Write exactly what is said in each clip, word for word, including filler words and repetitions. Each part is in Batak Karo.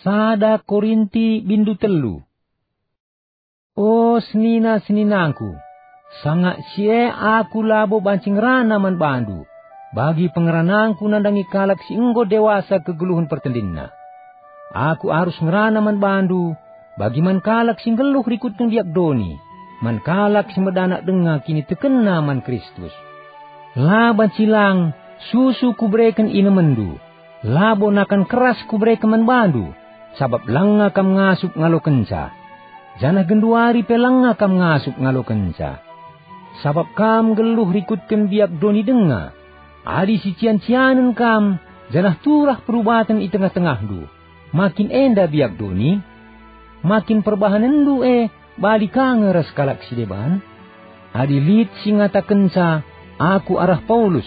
Sada Korinti bindu telu. O senina-seninangku, sanga si e aku labo banci ngerana man bandu, bagi pengeranangku nandangi kalak si enggo dewasa kegeluhen pertendinna. Aku arus ngerana man bandu, bagi man kalak si nggeluh rikutken biak doni, man kalak si medanak denga kinitekenna man Kristus. La banci lang susu kubereken inemenndu, labo nakan keras kubereken man bandu, sabap langa kam ngasup ngalokenca, janah genduari pe langa kam ngasup ngalokenca. Sabap kam nggeluh rikutken biak doni denga, adi sician-cianen kam, janah turah perubaten i tengah-tengahndu, makin enda biak doni? Makin perbahanenndu e bali ka nge ras kalak si deban? Adi lit si ngatakenca, "Aku arah Paulus,"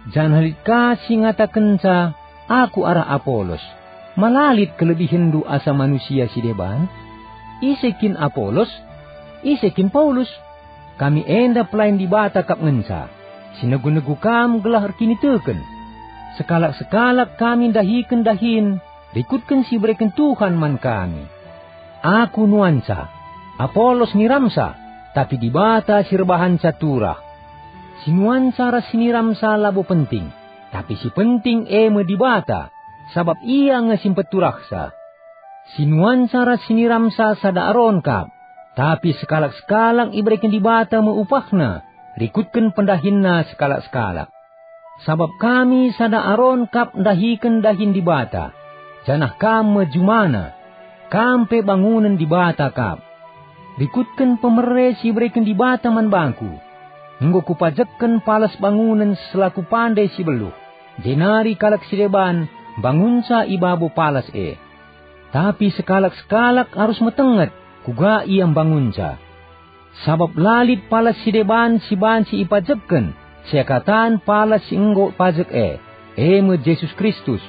janah lit ka si ngatakenca, "Aku arah Apolos," ma la lit kelebihenndu asa manusia si deban? Ise kin Apolos? Ise kin Paulus? Kami enda pelayan Dibata kap ngenca, si negu-negu kam gelah erkiniteken. Sekalak-sekalak kami ndahiken dahin rikutken si ibereken Tuhan man kami. Aku nuanca, Apolos niramsa, tapi Dibata si erbahanca turah. Si nuanca ras si niramsa labo penting, tapi si penting e me Dibata, sabap Ia nge si mpeturahsa. Si nuanca ras si niramsa sada aron kap, tapi sekalak-sekalak ibereken Dibata me upahna, rikutken pendahinna sekalak-sekalak. Sabap kami sada aron kap ndahiken dahin Dibata, janah kam me jumana, kam pe bangunen Dibata kap. Rikutken pemere si ibereken Dibata man bangku, enggo kupajekken palas bangunen selaku pande si beluh, jenari kalak si deban mbangunca i babo palas e. Tapi sekalak-sekalak arus metenget kuga ia mbangunca. Sabap la lit palas si deban si banci ipajekken seakatan palas si enggo pajek e, e me Jesus Kristus.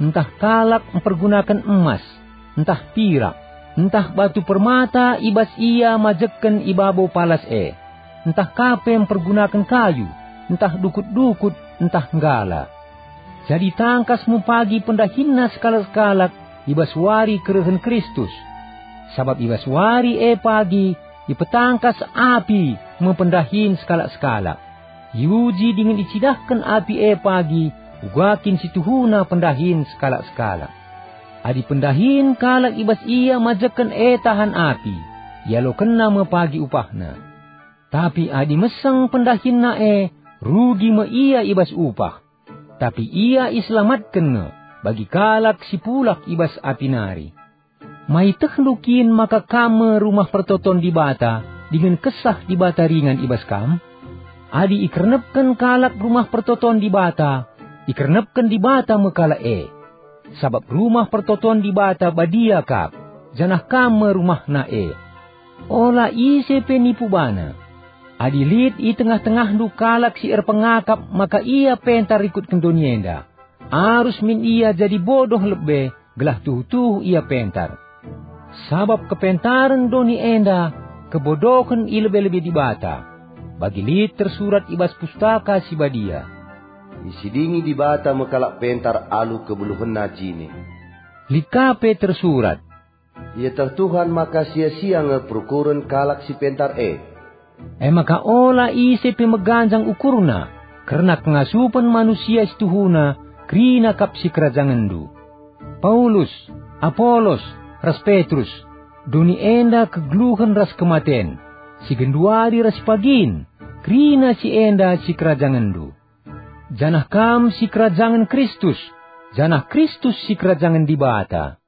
Ntah kalak mpergunaken emas, ntah pirak, ntah batu permata i bas ia majekken i babo palas e, ntah ka pe mpergunaken kayu, ntah dukut-dukut, ntah nggala. Jadi tangkas me pagi pendahinna sekalak-sekalak i bas wari kerehen Kristus. Sabap i bas wari e pagi ipetangkas api me pendahin sekalak-sekalak. Iuji dingen icidahken api e pagi uga kin si tuhuna pendahin sekalak-sekalak. Adi pendahin kalak i bas ia majekken e tahan api, ialokenna me pagi upahna. Tapi adi meseng pendahinna e, rugi me ia i bas upah. Tapi ia iselamatken nge bagi kalak si pulah i bas api nari. Maitehndu kin maka kam me rumah pertoton Dibata dingen Kesah Dibata ringan i bas kam? Adi ikernepken kalak rumah pertoton Dibata, ikernepken Dibata me kalak e. Sabap rumah pertoton Dibata badia kap, janah kam me rumahna e. Ola ise pe nipu bana. Adi lit i tengah-tengahndu kalak si erpengakap maka ia pentar rikutken doni enda, arus min ia jadi bodoh lebe gelah tuhu-tuhu ia pentar. Sabap kepentaren doni enda kebodohen i lebe-lebe Dibata, bagi lit tersurat i bas Pustaka Si Badia, "Isidingi Dibata me kalak pentar alu kebeluhenna jine." Lit ka pe tersurat, "Ieteh Tuhan maka sia-sia nge perukuren kalak si pentar e." E maka ola ise pe meganjang ukurna kerna kengasupen manusia si tuhuna kerina kap sikerajangenndu. Paulus, Apolos, ras Petrus, doni enda kegeluhen ras kematen, si genduari ras si pagin, kerina si enda sikerajangenndu. Janah kam sikerajangen Kristus, janah Kristus sikerajangen Dibata.